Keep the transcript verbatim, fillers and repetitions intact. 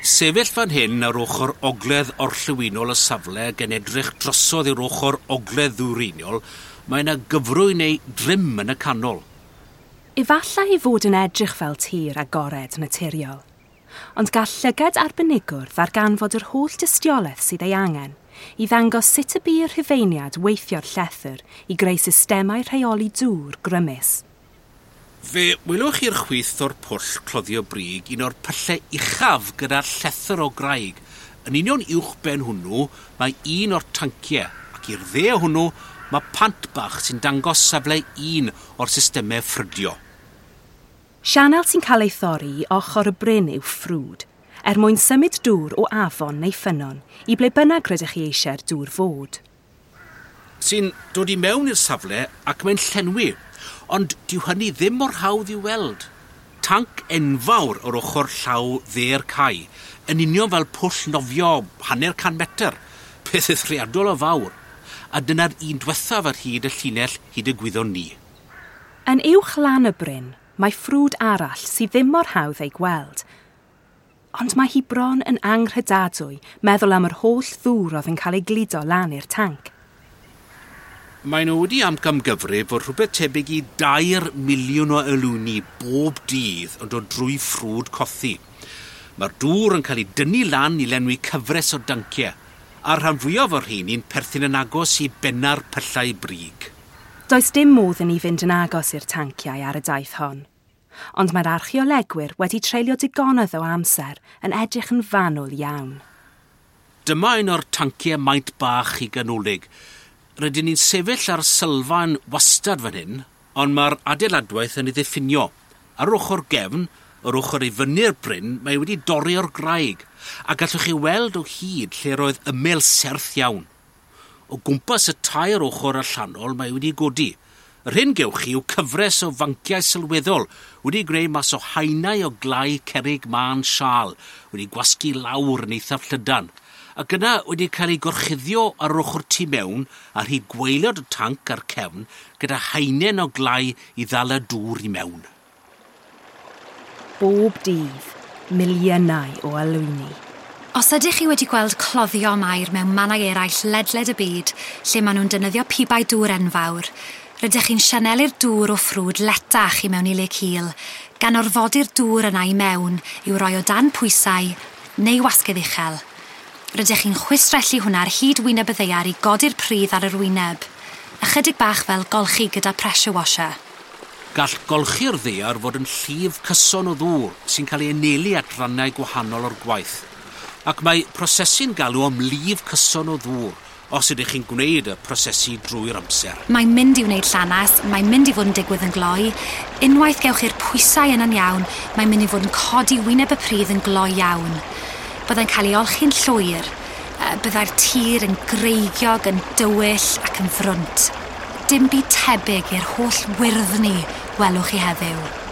sefyll fan hyn ar ochr ogledd orllewinol y safle gan edrych drosodd i'r ochr ogledd ddwyreiniol, mae yna gyfrwy neu drim yn y canol. Efallai ei fod yn edrych fel tir agored naturiol, ond gall llygad arbenigwr ddarganfod yr holl dystiolaeth sydd ei angen i ddangos sut y bu'r Rhufeiniad weithio'r llethr i greu systemau rheoli dŵr grymus. Fe welwch i'r chwith o'r pwll cloddio brig un o'r pyllau uchaf gyda'r llethr o graig. Yn union uwch ben hwnnw mae un o'r tanciau, ac i'r dde hwnnw mae pant bach sy'n dangos safle un o'r systemau ffrydio. Sianel sy'n cael ei thorri i ochr y bryn yw ffrwd, er mwyn symud dŵr o afon neu ffynnon i ble bynnag rydych chi eisiau'r dŵr fod. Sy'n dod i mewn i'r safle ac mae'n llenwi, ond dyw hynny ddim mor hawdd i'w weld. Tanc enfawr o'r ochr llaw dde'r cae, yn union fel pwll nofio hanner can metr, peth eithriadol o fawr, a dyna'r un diwethaf ar hyd y llinell hyd y gwyddon ni. Yn uwch lan y bryn, mae ffrwd arall sydd ddim mor hawdd ei gweld. Ond mae hi bron yn anghredadwy meddwl am yr holl ddŵr oedd yn cael ei gludo lan i'r tanc. Mae nhw wedi amcangyfrif fod rhywbeth tebyg i dair miliwn o alwyni bob dydd yn dod drwy ffrwd Cothi. Mae'r dŵr yn cael ei dynnu lan i lenwi cyfres o danciau, a'r rhan fwyaf o'r rheini'n perthyn yn agos i benna'r pyllau brig. Does dim modd i ni fynd yn agos i'r tanciau ar y daith hon. Ond mae'r archeolegwyr wedi treulio digonedd o amser yn edrych yn fanwl iawn. Dyma un o'r tanciau maint bach i ganolig. Rydyn ni'n sefyll ar sylfaen wastad fan hyn, ond mae'r adeiladwaith yn ei ddiffinio. Ar ochr gefn, yr ochr i fyny'r bryn, mae wedi dorri o'r graig, a gallwch chi weld o hyd lle roedd ymyl serth iawn. O gwmpas y tair ochr allanol mae wedi godi. Yr hyn gewch chi yw cyfres o fanciau sylweddol wedi gwneud mas o haenau o glai cerrig mân siâl, wedi gwasgu lawr yn eithaf llydan, ac yna wedi cael ei gorchuddio ar ochr tu mewn ar hyd gwaelod y tanc a'r cefn gyda haenen o glai i ddal y dŵr i mewn. Bob dydd, miliynau o alwyni. Os ydych chi wedi gweld cloddio am aur mewn mannau eraill ledled y byd, lle maen nhw'n defnyddio pibau dŵr enfawr, rydych chi'n sianelu'r dŵr o ffrwd letach i mewn i le cul, gan orfodi'r dŵr yna i mewn i'w roi o dan pwysau neu wasgedd uchel. Rydych chi'n chwistrellu hwnna ar hyd wyneb y ddaear i godi'r pridd ar yr wyneb. Ychydig bach fel golchi gyda pressure washer. Gall golchi'r ddaear fod yn llif cyson o ddŵr sy'n cael ei anelu at rannau gwahanol o'r gwaith. Ac mae prosesu'n galw am lif cyson o ddŵr os ydych chi'n gwneud y prosesu drwy'r amser. Mae'n mynd i wneud llanas, mae'n mynd i fod yn digwydd yn gloi. Unwaith gewch chi'r pwysau yna'n iawn, mae'n mynd i fod yn codi wyneb y pridd yn gloi iawn. Byddai'n cael ei olchi'n llwyr. Byddai'r tir yn greigiog, yn dywyll ac yn frwnt. Dim byd tebyg i'r holl wyrddni welwch chi heddiw.